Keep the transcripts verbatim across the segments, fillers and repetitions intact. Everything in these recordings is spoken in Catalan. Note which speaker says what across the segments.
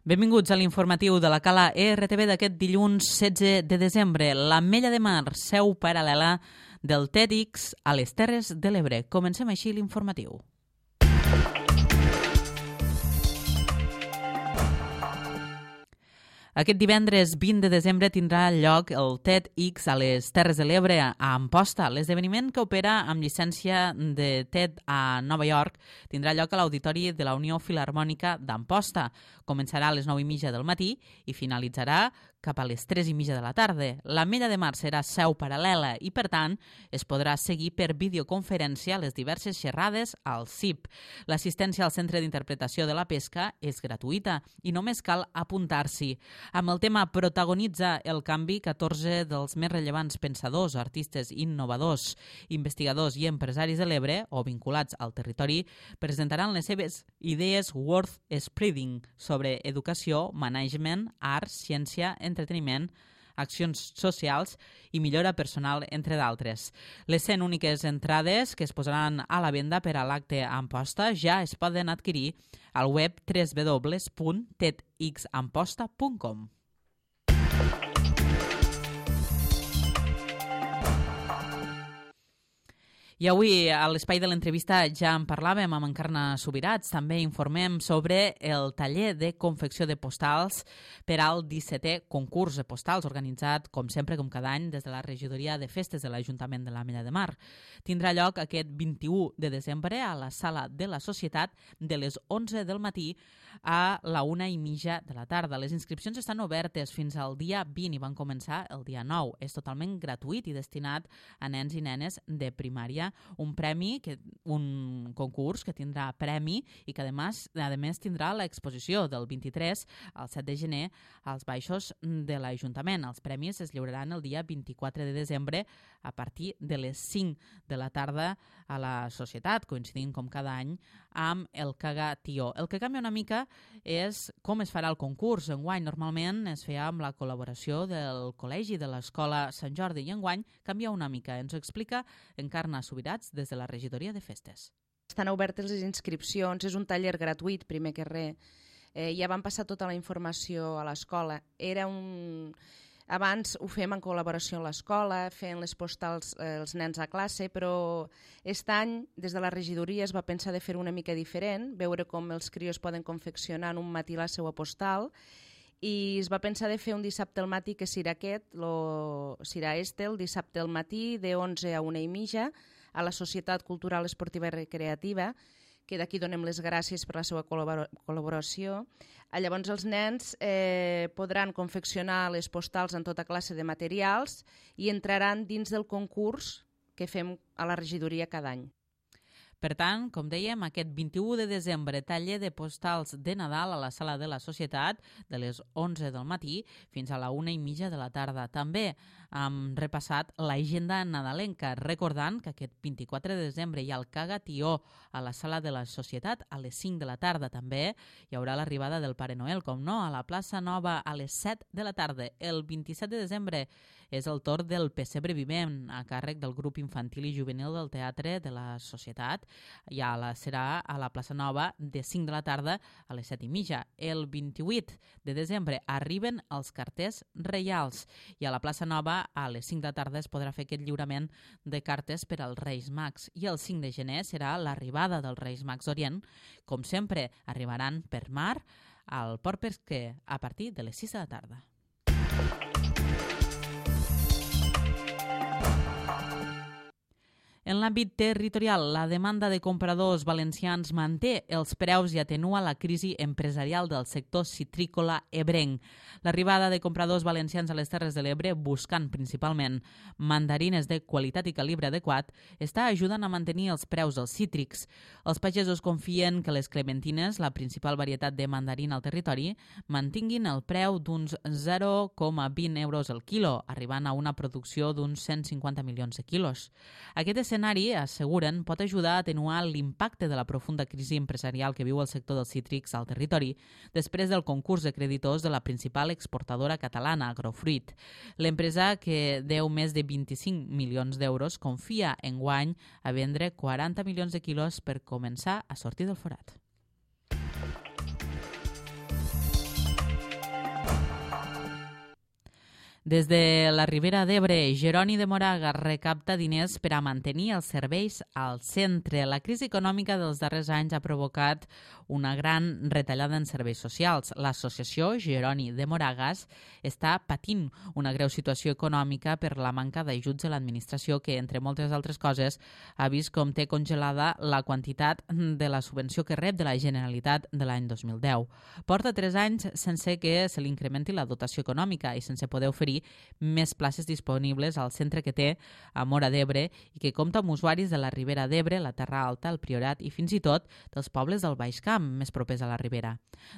Speaker 1: Benvinguts a l'informatiu de la Cala E R T V d'aquest dilluns setze de desembre. L'Ametlla de Mar, seu paral·lela del TEDx a les Terres de l'Ebre. Comencem així l'informatiu. Aquest divendres vint de desembre tindrà lloc el TEDx a les Terres de l'Ebre a Amposta. L'esdeveniment, que opera amb llicència de TED a Nova York, tindrà lloc a l'Auditori de la Unió Filharmònica d'Amposta. Començarà a les nou i mitja del matí i finalitzarà cap a les tres i mitja de la tarda. L'Ametlla de Mar serà seu paral·lela i, per tant, es podrà seguir per videoconferència les diverses xerrades al C I P. L'assistència al Centre d'Interpretació de la Pesca és gratuïta i només cal apuntar-s'hi. Amb el tema Protagonitza el canvi, catorze dels més rellevants pensadors, artistes, innovadors, investigadors i empresaris de l'Ebre o vinculats al territori presentaran les seves idees worth spreading sobre educació, management, art, ciència, entreteniment, accions socials i millora personal, entre d'altres. Les cent úniques entrades que es posaran a la venda per a l'acte a Amposta ja es poden adquirir al web w w w punt tedxamposta punt com. I avui, a l'espai de l'entrevista, ja en parlàvem amb Encarna Subirats. També informem sobre el taller de confecció de postals per al dissetè concurs de postals, organitzat, com sempre, com cada any, des de la regidoria de festes de l'Ajuntament de l'Ametlla de Mar. Tindrà lloc aquest vint-i-u de desembre a la Sala de la Societat de les onze del matí a la una i mitja de la tarda. Les inscripcions estan obertes fins al dia vint i van començar el dia nou. És totalment gratuït i destinat a nens i nenes de primària. Un premi, que, un concurs que tindrà premi i que, a més, a més tindrà l'exposició del vint-i-tres al set de gener als baixos de l'Ajuntament. Els premis es lliuraran el dia vint-i-quatre de desembre a partir de les cinc de la tarda a la Societat, coincidint com cada any amb el Caga Tió. El que canvia una mica és com es farà el concurs. Enguany normalment es feia amb la col·laboració del Col·legi de l'Escola Sant Jordi i enguany canvia una mica. Ens ho explica Encarna Subirats des de la regidoria de festes.
Speaker 2: Estan obertes les inscripcions, és un taller gratuït, primer que res. Eh, ja van passar tota la informació a l'escola. Era un... Abans ho fèiem en col·laboració amb l'escola, fent les postals eh, els nens a classe, però aquest any, des de la regidoria, es va pensar de fer una mica diferent, veure com els crios poden confeccionar en un matí la seva postal, i es va pensar de fer un dissabte al matí, que serà aquest, lo, serà este, el dissabte al matí, de onze a una i mitja, a la Societat Cultural Esportiva i Recreativa, que d'aquí donem les gràcies per la seva col·laboració. Llavors els nens eh, podran confeccionar les postals en tota classe de materials i entraran dins del concurs que fem a la regidoria cada any.
Speaker 1: Per tant, com dèiem, aquest vint-i-u de desembre, taller de postals de Nadal a la Sala de la Societat de les onze del matí fins a la una i mitja de la tarda. També hem repassat l'agenda nadalenca, recordant que aquest vint-i-quatre de desembre hi ha el Caga Tió a la Sala de la Societat a les cinc de la tarda. També hi haurà l'arribada del Pare Noel, com no, a la plaça Nova a les set de la tarda. El vint-i-set de desembre és el torn del Pessebre Vivent, a càrrec del grup infantil i juvenil del Teatre de la Societat. Ja la, serà a la plaça Nova de cinc de la tarda a les set i mitja. El vint-i-vuit de desembre arriben els carters reials i a la plaça Nova a les cinc de la tarda es podrà fer aquest lliurament de cartes per als Reis Mags. I el cinc de gener serà l'arribada dels Reis Mags d'Orient. Com sempre, arribaran per mar al Port Pesquer a partir de les sis de la tarda. En l'àmbit territorial, la demanda de compradors valencians manté els preus i atenua la crisi empresarial del sector citrícola ebrenc. L'arribada de compradors valencians a les Terres de l'Ebre, buscant principalment mandarines de qualitat i calibre adequat, està ajudant a mantenir els preus dels cítrics. Els pagesos confien que les clementines, la principal varietat de mandarina al territori, mantinguin el preu d'uns zero coma vint euros el quilo, arribant a una producció d'uns cent cinquanta milions de quilos. Aquest escenari, asseguren, pot ajudar a atenuar l'impacte de la profunda crisi empresarial que viu el sector dels cítrics al territori després del concurs de creditors de la principal exportadora catalana, Agrofruit. L'empresa, que deu més de vint-i-cinc milions d'euros, confia enguany a vendre quaranta milions de quilos per començar a sortir del forat. Des de la Ribera d'Ebre, Jeroni de Moraga recapta diners per a mantenir els serveis al centre. La crisi econòmica dels darrers anys ha provocat una gran retallada en serveis socials. L'associació Jeroni de Moragas està patint una greu situació econòmica per la manca d'ajuts de l'administració que, entre moltes altres coses, ha vist com té congelada la quantitat de la subvenció que rep de la Generalitat de l'any dos mil deu. Porta tres anys sense que se li incrementi la dotació econòmica i sense poder oferir més places disponibles al centre que té a Móra d'Ebre i que compta amb usuaris de la Ribera d'Ebre, la Terra Alta, el Priorat i fins i tot dels pobles del Baix Camp, més propers a la Ribera.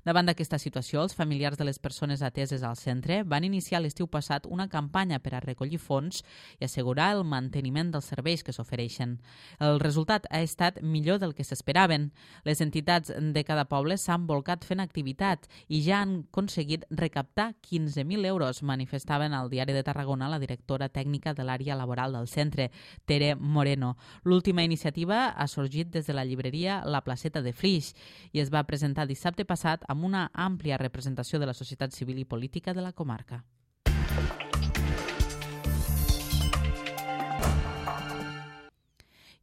Speaker 1: Davant d'aquesta situació, els familiars de les persones ateses al centre van iniciar l'estiu passat una campanya per a recollir fons i assegurar el manteniment dels serveis que s'ofereixen. El resultat ha estat millor del que s'esperaven. Les entitats de cada poble s'han volcat fent activitat i ja han aconseguit recaptar quinze mil euros, manifestaven al Diari de Tarragona la directora tècnica de l'àrea laboral del centre, Tere Moreno. L'última iniciativa ha sorgit des de la llibreria La Placeta de Flix i es va presentar dissabte passat amb una àmplia representació de la societat civil i política de la comarca.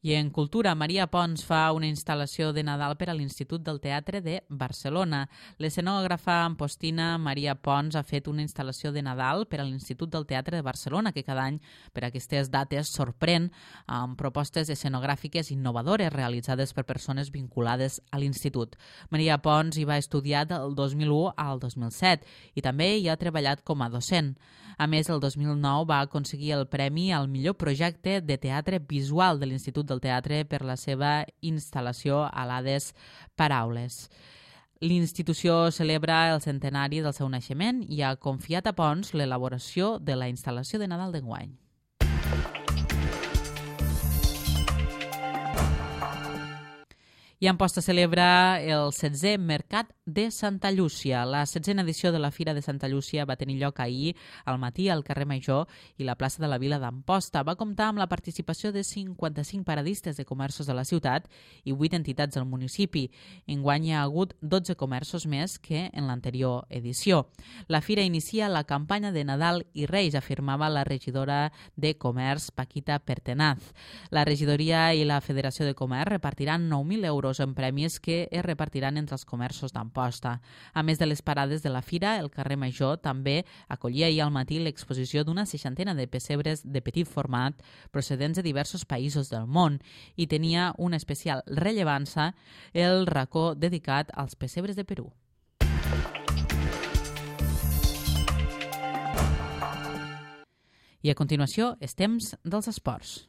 Speaker 1: I en cultura, Maria Pons fa una instal·lació de Nadal per a l'Institut del Teatre de Barcelona. L'escenògrafa ampostina Maria Pons ha fet una instal·lació de Nadal per a l'Institut del Teatre de Barcelona, que cada any per aquestes dates sorprèn amb propostes escenogràfiques innovadores realitzades per persones vinculades a l'Institut. Maria Pons hi va estudiar del dos mil u al dos mil set i també hi ha treballat com a docent. A més, el dos mil nou va aconseguir el premi al millor projecte de teatre visual de l'Institut del Teatre per la seva instal·lació a l'Hades Paraules. L'institució celebra el centenari del seu naixement i ha confiat a Pons l'elaboració de la instal·lació de Nadal d'enguany. I Amposta celebra el setzè Mercat de Santa Llúcia. La setzena edició de la Fira de Santa Llúcia va tenir lloc ahir al matí al carrer Major i la plaça de la Vila d'Amposta. Va comptar amb la participació de cinquanta-cinc paradistes de comerços de la ciutat i vuit entitats del municipi. Enguany hi ha hagut dotze comerços més que en l'anterior edició. La Fira inicia la campanya de Nadal i Reis, afirmava la regidora de Comerç, Paquita Pertenaz. La regidoria i la Federació de Comerç repartiran nou mil euros en premis que es repartiran entre els comerços d'Amposta. A més de les parades de la Fira, el carrer Major també acollia ahir al matí l'exposició d'una seixantena de pessebres de petit format procedents de diversos països del món i tenia una especial rellevància el racó dedicat als pessebres de Perú. I a continuació, és temps dels esports.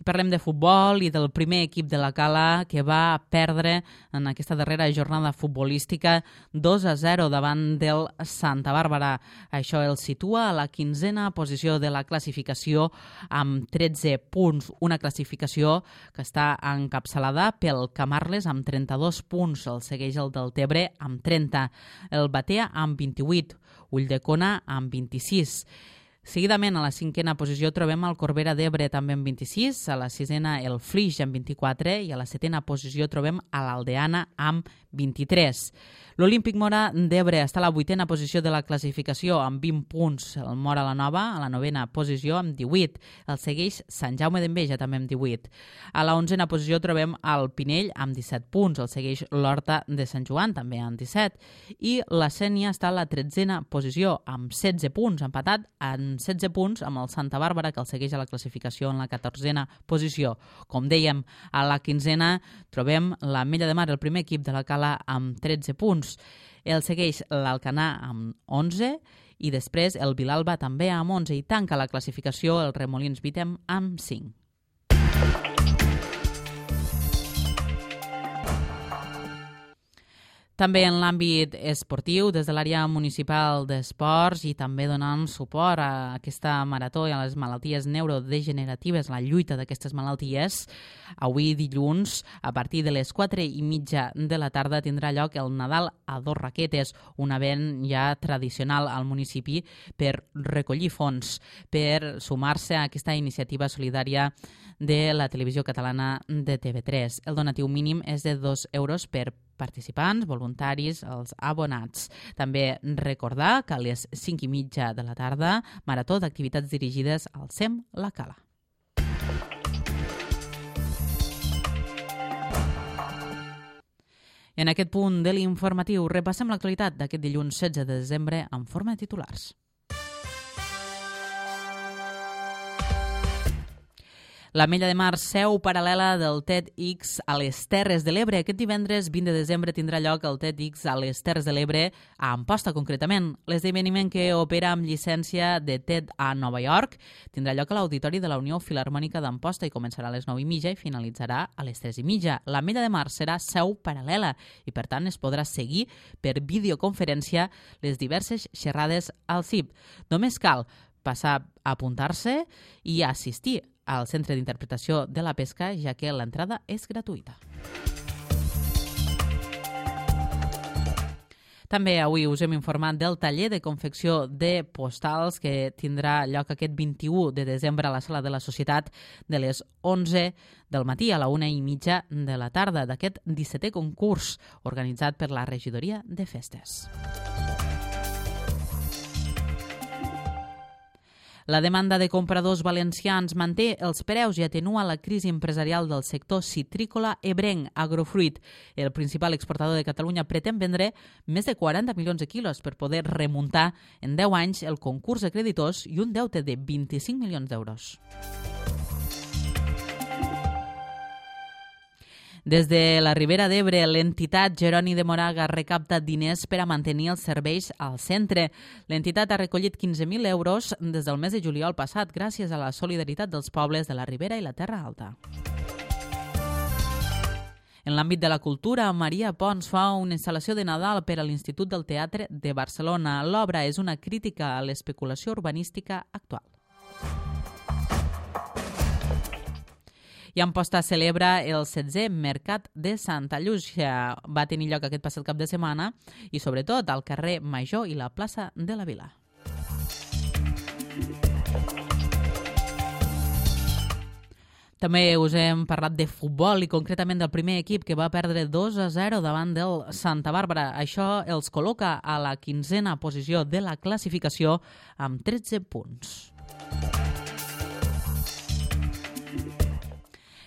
Speaker 1: Parlem de futbol i del primer equip de la Cala que va perdre en aquesta darrera jornada futbolística dos a zero davant del Santa Bàrbara. Això el situa a la quinzena posició de la classificació amb tretze punts. Una classificació que està encapçalada pel Camarles amb trenta-dos punts. El segueix el Deltebre amb trenta. El Batea amb vint-i-vuit. Ulldecona amb vint-i-sis. Seguidament, a la cinquena posició trobem el Corbera d'Ebre també amb vint-i-sis, a la sisena el Flix amb vint-i-quatre i a la setena posició trobem a l'Aldeana amb vint-i-tres. L'Olímpic Mora d'Ebre està a la vuitena posició de la classificació amb vint punts. El Mora la Nova a la novena posició amb divuit. El segueix Sant Jaume d'Enveja també amb divuit. A la onzena posició trobem el Pinell amb disset punts. El segueix l'Horta de Sant Joan també amb disset. I la Sénia està a la tretzena posició amb setze punts, empatat en setze punts amb el Santa Bàrbara, que el segueix a la classificació en la catorzena posició. Com dèiem, a la quinzena trobem l'Ametlla de Mar, el primer equip de la Cala, amb tretze punts. El segueix l'Alcanar amb onze i després el Vilalba també amb onze i tanca la classificació el Remolins Vitem amb cinc. També en l'àmbit esportiu, des de l'àrea municipal d'esports i també donant suport a aquesta marató i a les malalties neurodegeneratives, la lluita d'aquestes malalties, avui dilluns, a partir de les quatre i mitja de la tarda, tindrà lloc el Nadal a dos raquetes, un event ja tradicional al municipi per recollir fons, per sumar-se a aquesta iniciativa solidària de la televisió catalana de T V tres. El donatiu mínim és de dos euros per participants, voluntaris, els abonats. També recordar que a les cinc i mitja de la tarda, marató d'activitats dirigides al S E M La Cala. En aquest punt de l'informatiu repassem l'actualitat d'aquest dilluns setze de desembre en forma de titulars. L'Ametlla de Mar, seu paral·lela del TEDx a les Terres de l'Ebre. Aquest divendres vint de desembre tindrà lloc el TEDx a les Terres de l'Ebre, a Amposta concretament. L'esdeveniment, que opera amb llicència de TED a Nova York, tindrà lloc a l'Auditori de la Unió Filharmònica d'Amposta i començarà a les nou i mitja i finalitzarà a les tres i mitja. L'Ametlla de Mar serà seu paral·lela i, per tant, es podrà seguir per videoconferència les diverses xerrades al C I B. Només cal passar a apuntar-se i assistir al Centre d'Interpretació de la Pesca, ja que l'entrada és gratuïta. També avui us hem informat del taller de confecció de postals que tindrà lloc aquest vint-i-u de desembre a la Sala de la Societat de les onze del matí a la una i mitja de la tarda d'aquest dissetè concurs organitzat per la Regidoria de Festes. La demanda de compradors valencians manté els preus i atenua la crisi empresarial del sector citrícola ebrenc. Agrofruit, el principal exportador de Catalunya, pretén vendre més de quaranta milions de quilos per poder remuntar en deu anys el concurs de creditors i un deute de vint-i-cinc milions d'euros. Des de la Ribera d'Ebre, l'entitat Jeroni de Moraga recapta diners per a mantenir els serveis al centre. L'entitat ha recollit quinze mil euros des del mes de juliol passat gràcies a la solidaritat dels pobles de la Ribera i la Terra Alta. En l'àmbit de la cultura, Maria Pons fa una instal·lació de Nadal per a l'Institut del Teatre de Barcelona. L'obra és una crítica a l'especulació urbanística actual. I Amposta celebra el setzè Mercat de Santa Llúcia. Va tenir lloc aquest passat cap de setmana i, sobretot, al carrer Major i la plaça de la Vila. També us hem parlat de futbol i concretament del primer equip que va perdre dos a zero davant del Santa Bàrbara. Això els col·loca a la quinzena posició de la classificació amb tretze punts.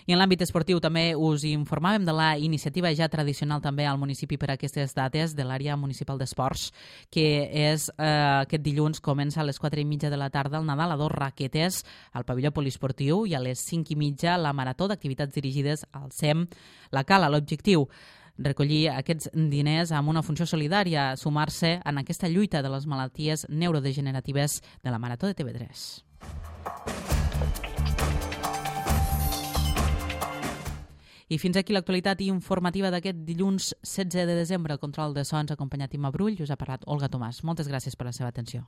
Speaker 1: I en l'àmbit esportiu també us informàvem de la iniciativa ja tradicional també al municipi per a aquestes dates de l'àrea municipal d'esports, que és eh, aquest dilluns comença a les quatre i mitja de la tarda el Nadal a dos raquetes al pavelló poliesportiu i a les cinc i mitja la marató d'activitats dirigides al S E M La Cala. L'objectiu, recollir aquests diners amb una funció solidària, sumar-se en aquesta lluita de les malalties neurodegeneratives de la Marató de T V tres. I fins aquí l'actualitat informativa d'aquest dilluns setze de desembre. El control de so ens ha acompanyat Imma Brull i us ha parlat Olga Tomàs. Moltes gràcies per la seva atenció.